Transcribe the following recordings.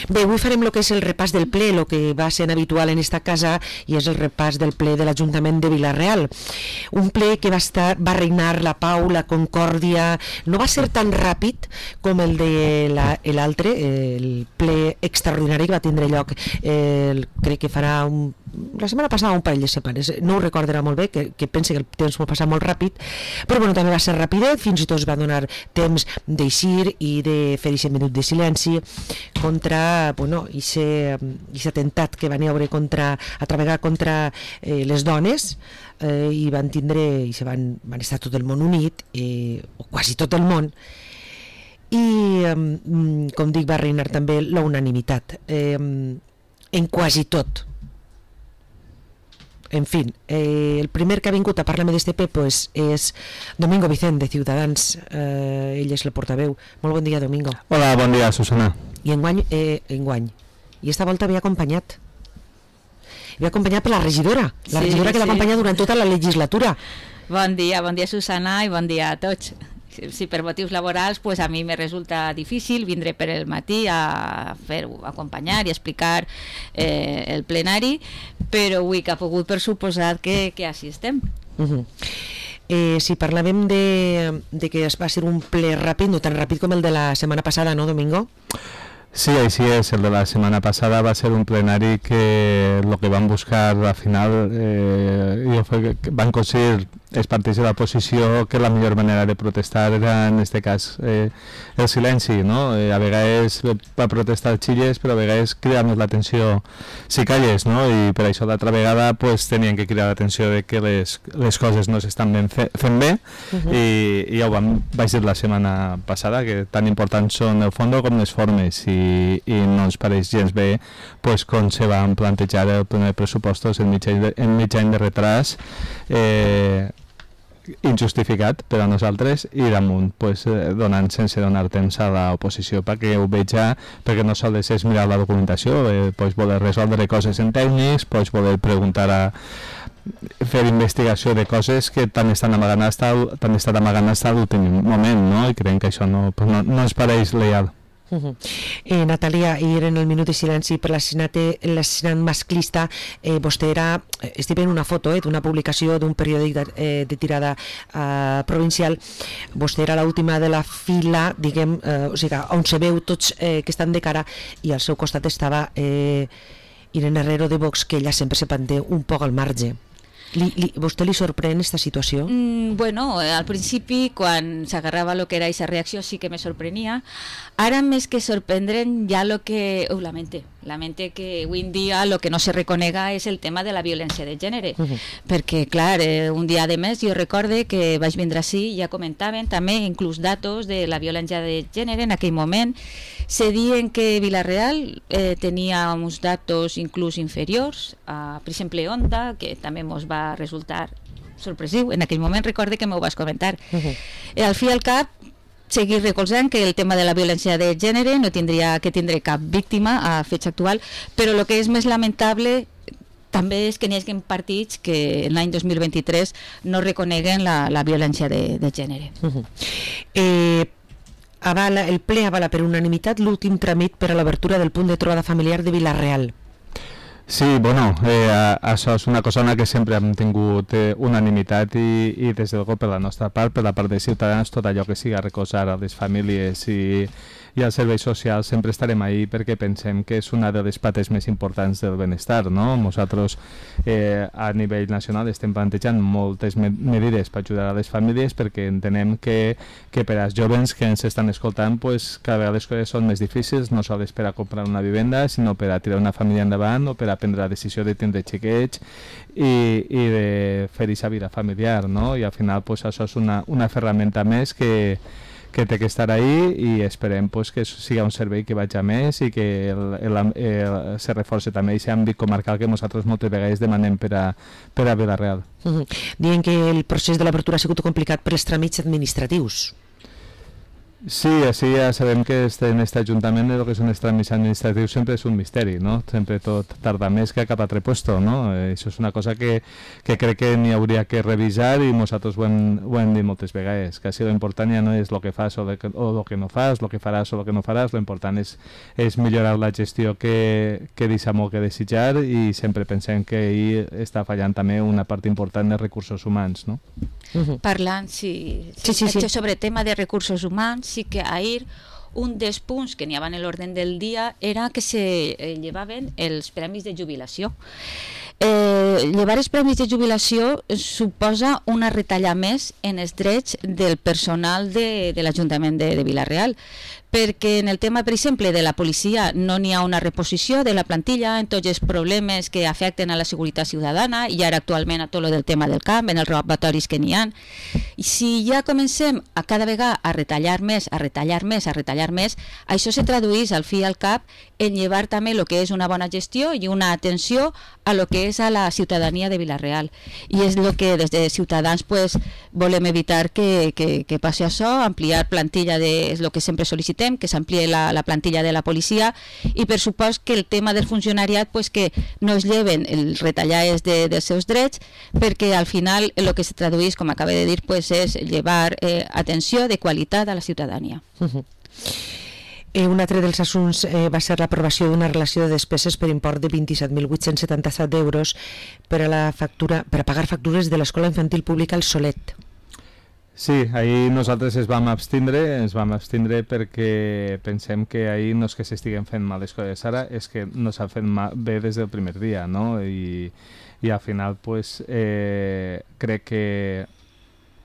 Bé, avui farem el que és el repàs del ple, el que va sent habitual en esta casa, i és el repàs del ple de l'Ajuntament de Vila-real. Un ple que va regnar la pau, la concòrdia, no va ser tan ràpid com el de l'altre, el ple extraordinari que va tindre lloc, crec que farà la setmana passada un parell de setmanes, no ho recordarà molt bé, que pense que el temps va passar molt ràpid, però bueno, també va ser rapidet, fins i tot es va donar temps d'eixir i de fer aquest minut de silenci contra, bueno, aquest atemptat que van haver a contra les dones, i van tindre, i van estar tot el món unit, o quasi tot el món, i com dic, va reinar també la unanimitat en quasi tot. En fi, el primer que ha vingut a parlar-me d'este ple és Domingo Vicent, de Ciutadans. Ell és el portaveu. Molt bon dia, Domingo. Hola, bon dia, Susana. I enguany, i esta volta havia acompanyat per la regidora, que l'ha acompanyat durant tota la legislatura. Bon dia, Susana, i bon dia a tots. Si per motius laborals, pues a mi me resulta difícil vindre per el matí a acompanyar i explicar el plenari, però avui que ha pogut, per suposat que així estem. Si parlàvem de que va ser un ple ràpid, no tan ràpid com el de la setmana passada, no, Domingo? Sí, així és. El de la setmana passada va ser un plenari que el que van buscar al final van aconseguir els partits de l'oposició que la millor manera de protestar era, en aquest cas, el silenci, no? A vegades va protestar xilles, però a vegades cridar més l'atenció si calles, no? I per això l'altra vegada pues, tenien que cridar l'atenció de que les coses no s'estan fent bé, i ja ho vaig dir la setmana passada, que tan importants són el fons com les formes, i no ens pareix gens bé pues, com se van plantejar el primer pressupostos en mig any de retras, injustificat per a nosaltres, i damunt pues, sense donar temps a l'oposició perquè ho veja, perquè no sols és mirar la documentació, pues, voler resoldre coses en tècnics, pues, voler preguntar fer investigació de coses que t'han estat amagant fins a l'últim moment, no? I creiem que això no ens pareix leal. Natalia, ahir en el minut de silenci per l'assassinat masclista, vostè era, estic veient una foto d'una publicació d'un periòdic de tirada provincial, vostè era l'última de la fila, diguem, o sigui, on se veu tots que estan de cara, i al seu costat estava Irene Herrero de Vox, que ella sempre se manté un poc al marge. ¿Vostè li sorprèn aquesta situació? Bueno, al principi, quan s'agarrava el que era aquesta reacció, sí que me sorprenia. Ara, més que sorprendre'n, ja lo que... Lamente que avui en dia el que no se reconega és el tema de la violència de gènere. Perquè, clar, un dia de més, jo recorde que vaig vindre així i ja comentaven també inclús datos de la violència de gènere en aquell moment. Se diuen que Vila-real tenia uns datos inclús inferiors, per exemple Onda, que també ens va resultar sorpresiu. En aquell moment recorde que m'ho vas comentar. Al fi i al cap, seguir recolzant que el tema de la violència de gènere no tindria que tindre cap víctima a fets actual, però el que és més lamentable també és que n'hi hagi partits que en l'any 2023 no reconeguen la violència de gènere. El ple avala per unanimitat l'últim tràmit per a l'obertura del punt de trobada familiar de Vila-real. Sí, bueno, això és una cosa en la que sempre hem tingut unanimitat, i des de per la nostra part, per la part de Ciutadans, tot allò que siga recolzar a les famílies i als serveis socials sempre estarem ahí, perquè pensem que és una de les pates més importants del benestar, no? Nosaltres a nivell nacional estem plantejant moltes mesures per ajudar a les famílies, perquè entenem que per als joves que ens estan escoltant pues, cada vegada les coses són més difícils, no sols per a comprar una vivenda, sinó per a tirar una família endavant o per a prendre la decisió de tindre xiquets i de fer aquesta vida familiar, no? I al final pues, això és una ferramenta més que té que estar ahí, i esperem pues, que siga un servei que vagi a més i que se reforci també aquest àmbit comarcal que nosaltres moltes vegades demanem per a Vila-real. Diuen que el procés de l'obertura ha sigut complicat per els tràmits administratius. Sí, així ja sabem que en aquest Ajuntament el que són els tràmits administratius sempre és un misteri, no? Sempre tot tarda més que a cap altre puesto, no? Això és una cosa que crec que n'hi hauria que revisar i nosaltres ho hem dit moltes vegades, que així l'important ja no és el que fas o el que no fas, el que faràs o el que no faràs, l'important és millorar la gestió que deixa molt que desitjar i sempre pensem que ahir està fallant també una part important de recursos humans, no? Parlant, Sí. sobre tema de recursos humans, sí que ahir un dels punts que n'hi havia en l'ordre del dia era que se llevaven els premis de jubilació. Llevar els premis de jubilació suposa una retalla més en els drets del personal de l'Ajuntament de Vila-real, perquè en el tema, per exemple, de la policia no n'hi ha una reposició de la plantilla en tots els problemes que afecten a la seguretat ciutadana i ara actualment a tot el del tema del camp, en els robatoris que n'hi ha. I si ja comencem a cada vegada a retallar més, això se tradueix al fi i al cap en llevar també el que és una bona gestió i una atenció a lo que és a la ciutadania de Vila-real. I és el que des de Ciutadans volem evitar que passi això, ampliar plantilla és el que sempre sol·licitem, que s'ampliï la plantilla de la policia i per supost que el tema del funcionariat que no es lleven els retallades dels seus drets, perquè al final el que se tradueix, com acaba de dir, és llevar atenció de qualitat a la ciutadania. Un altre dels assumptes va ser l'aprovació d'una relació de despeses per import de 27.877 euros per a pagar factures de l'Escola Infantil Pública El Solet. Sí, ahir nosaltres ens vam abstindre perquè pensem que ahir no és que s'estiguen fent mal les coses ara, és que no s'han fet bé des del primer dia, no? I al final crec que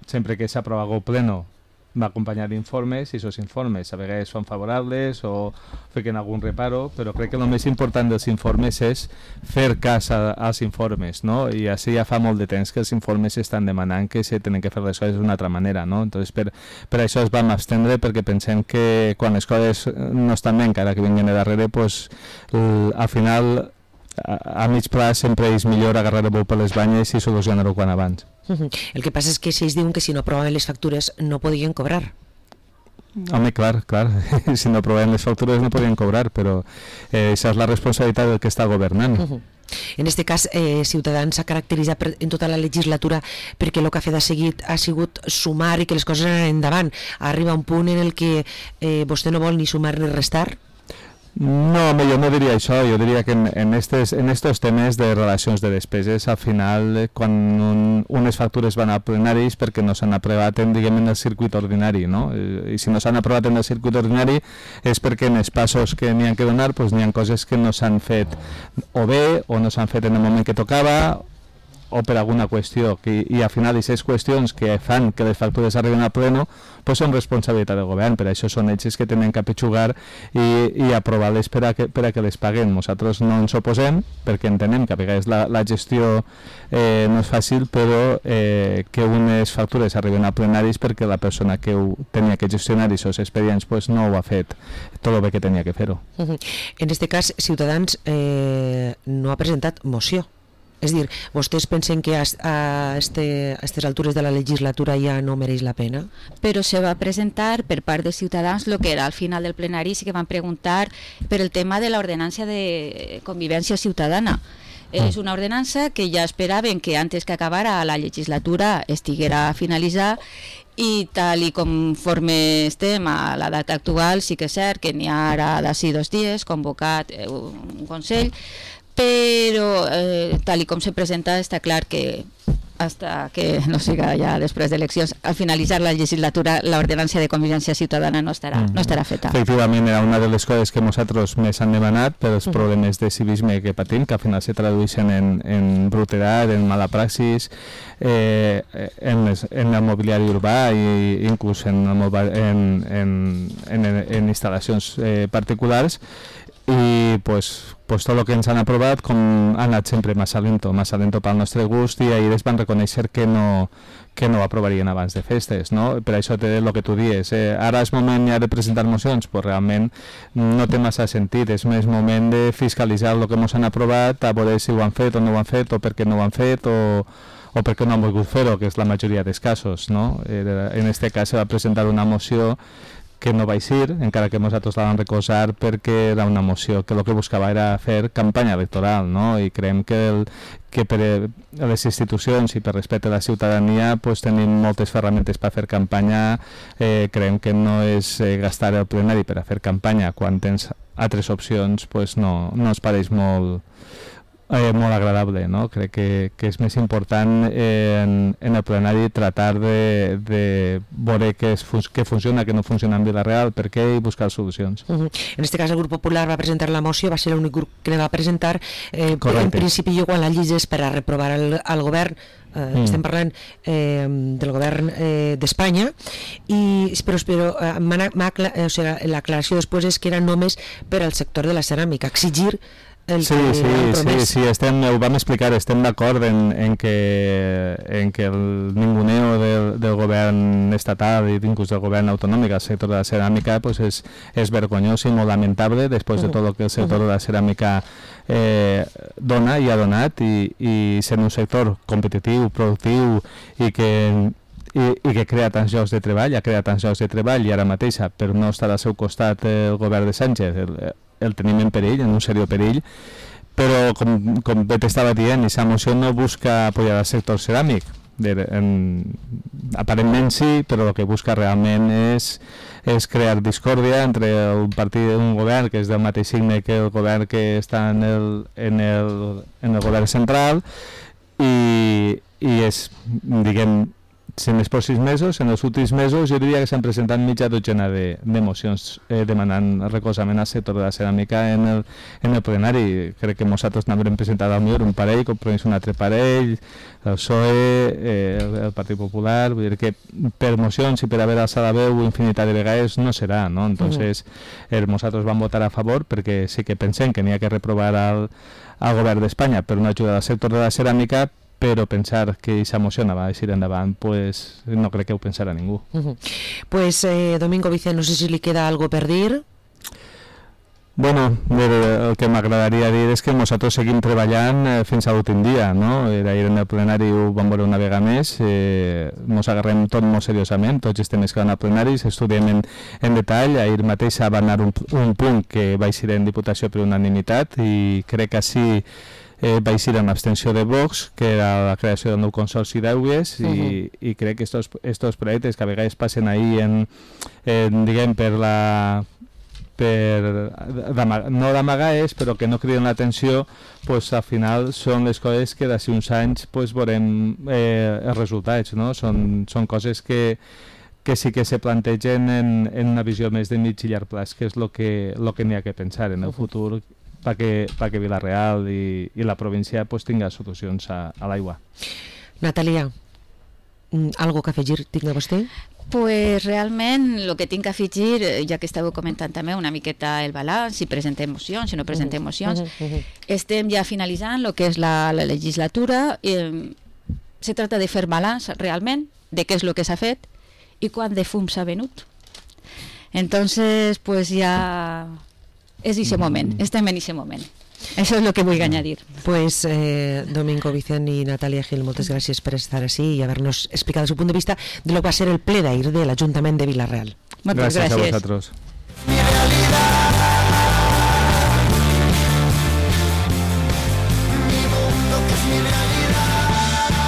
sempre que s'aprova algo pleno va acompanyar d'informes i aquests informes a vegades són favorables o fiquen algun reparo, però crec que el més important dels informes és fer cas als informes, no? I així ja fa molt de temps que els informes estan demanant que se tenen que fer les coses d'una altra manera, no? Entonces, per això es vam abstendre, perquè pensem que quan les coses no estan bé, encara que vinguin de darrere, al final a mig pla sempre és millor agarrar el bou per les banyes i solucionar-ho quan abans. El que passa és que si ells diuen que si no aprovaven les factures no podien cobrar. Home, clar, si no aprovaven les factures no podien cobrar, però això és la responsabilitat del que està governant. En aquest cas, Ciutadans s'ha caracteritzat en tota la legislatura perquè el que ha fet ha sigut sumar i que les coses anen endavant. Arriba un punt en el que vostè no vol ni sumar ni restar? No, jo no diria això, jo diria que en estos temes de relacions de despeses, al final, quan unes factures van a plenaris perquè no s'han aprovat en el circuit ordinari, no? I si no s'han aprovat en el circuit ordinari és perquè en els passos que n'hi ha que donar n'hi ha coses que no s'han fet o bé o no s'han fet en el moment que tocava o per alguna qüestió, i al final aquestes qüestions que fan que les factures arriben a pleno són responsabilitat del govern, per això són ells que tenen que apitxugar i aprovar-les per a que les paguen. Nosaltres no ens oposem perquè entenem que a vegades la gestió no és fàcil, però que unes factures arriben a plenaris perquè la persona que ho tenia que gestionar aquests expedients no ho ha fet tot el bé que tenia que fer-ho. En aquest cas, Ciutadans no ha presentat moció. És dir, vostès pensen que a aquestes altures de la legislatura ja no mereix la pena? Però se va presentar per part de Ciutadans el que era al final del plenari, sí que van preguntar per el tema de l'ordenança de convivència ciutadana. És una ordenança que ja esperaven que antes que acabara la legislatura estiguera finalitzada i tal i conforme estem a la data actual sí que és cert que n'hi ha ara d'ací 2 dies convocat un Consell, però tal i com se presenta està clar que hasta que no siga ja després d'eleccions, al finalitzar la legislatura l'ordenança de convivència ciutadana no estarà feta. Efectivament, era una de les coses que nosaltres més han demanat per els problemes de civisme que patim, que al final se tradueixen en brutedat, en mala praxis, en el mobiliari urbà i inclús en instal·lacions particulars, i tot el que ens han aprovat ha anat sempre massa lento pel nostre gust, i ahir es van reconèixer que no ho aprovarien abans de festes, no? Per això té el que tu dius, ara és moment ja de presentar mocions, realment no té massa sentit, és més moment de fiscalitzar el que ens han aprovat, a veure si ho han fet o no ho han fet, o per què no ho han fet, o perquè no han volgut fer-ho, que és la majoria dels casos, no? En aquest cas se va presentar una moció que no va eixir, encara que nosaltres la vam recolzar perquè era una moció que el que buscava era fer campanya electoral, no? I creiem que per les institucions i per respecte a la ciutadania pues, tenim moltes ferramentes per fer campanya. Creiem que no és gastar el plenari per a fer campanya quan tens altres opcions, pues no ens pareix molt agradable, no? Crec que és més important en el plenari tratar de veure què funciona, què no funciona en Vila-real, per què, i buscar solucions. En este cas el grup popular va presentar la moció, va ser l'únic grup que la va presentar. En principi jo quan la llegis per a reprovar al govern, estem parlant del govern d'Espanya, però l'aclaració després és que era només per al sector de la ceràmica, exigir Sí, ho vam explicar, estem d'acord en que el ninguneo del govern estatal i inclús del govern autonòmic al sector de la ceràmica pues és vergonyós i molt lamentable després de tot el que el sector de la ceràmica dona i ha donat, i sent un sector competitiu, productiu i que crea tants llocs de treball, ha creat tants llocs de treball, i ara mateix per no estar al seu costat el govern de Sánchez el tenim en perill, en un seriós perill, però com bé t'estava dient, aquesta moció no busca apoyar el sector ceràmic, aparentment sí, però el que busca realment és crear discòrdia entre un govern que és del mateix signe que el govern que està en el govern central, i és, diguem, en els pròxims mesos, en els últims mesos, jo diria que s'han presentat mitja dotzena de mocions demanant recolzament al sector de la ceràmica en el plenari. Crec que nosaltres n'haurem presentat al millor un parell, Compromís un altre parell, el PSOE, el Partit Popular, vull dir que per mocions i per haver alçat la veu infinitat de vegades no serà, no? Entonces, nosaltres vam votar a favor perquè sí que pensem que n'hi ha que reprovar al govern d'Espanya per una ajuda al sector de la ceràmica, però pensar que aquesta moció va eixir endavant, pues no crec que ho pensarà ningú. Pues Domingo Vicent, no sé si li queda algo per dir. Bueno, el que m'agradaria dir és que nosaltres seguim treballant fins a l'últim dia, no? Ahir en el plenari ho vam veure una vegada més, ens agarrem tot molt seriosament, tots els temes que van al plenari, s'estudiem en detall. Ahir mateix va anar un punt que va eixir en Diputació per unanimitat, i crec que així va eixir amb abstenció de Vox, que era la creació del nou consorci d'Aigües, i crec que estos projectes que a vegades passen ahir diguem, no d'amagar, però que no criden l'atenció, pues al final són les coses que d'ací uns anys pues veurem els resultats, no? Són coses que sí que se plantegen en una visió més de mig i llarg plaç, que és el que n'hi ha que pensar en el futur, perquè Vila-real i la província pues tinga solucions a l'aigua. Natalia, algo que afegir tinga vostè? Pues realment el que tinc que afegir, ja que estàveu comentant també una miqueta el balanç, si presentem mocions, si no presentem mocions, estem ja finalitzant el que és la legislatura. Se tracta de fer balanç realment de què és el que s'ha fet i quant de fum s'ha venut. Entonces, pues ja és aquest moment, estem en aquest moment. Això és el que vull añadir. Pues Domingo Vicent i Natalia Gil, moltes gràcies per estar així i haver-nos explicat el seu punt de vista de lo que va ser el ple d'ahir de l'Ajuntament de Vila-real. Moltes gràcies a vosaltres.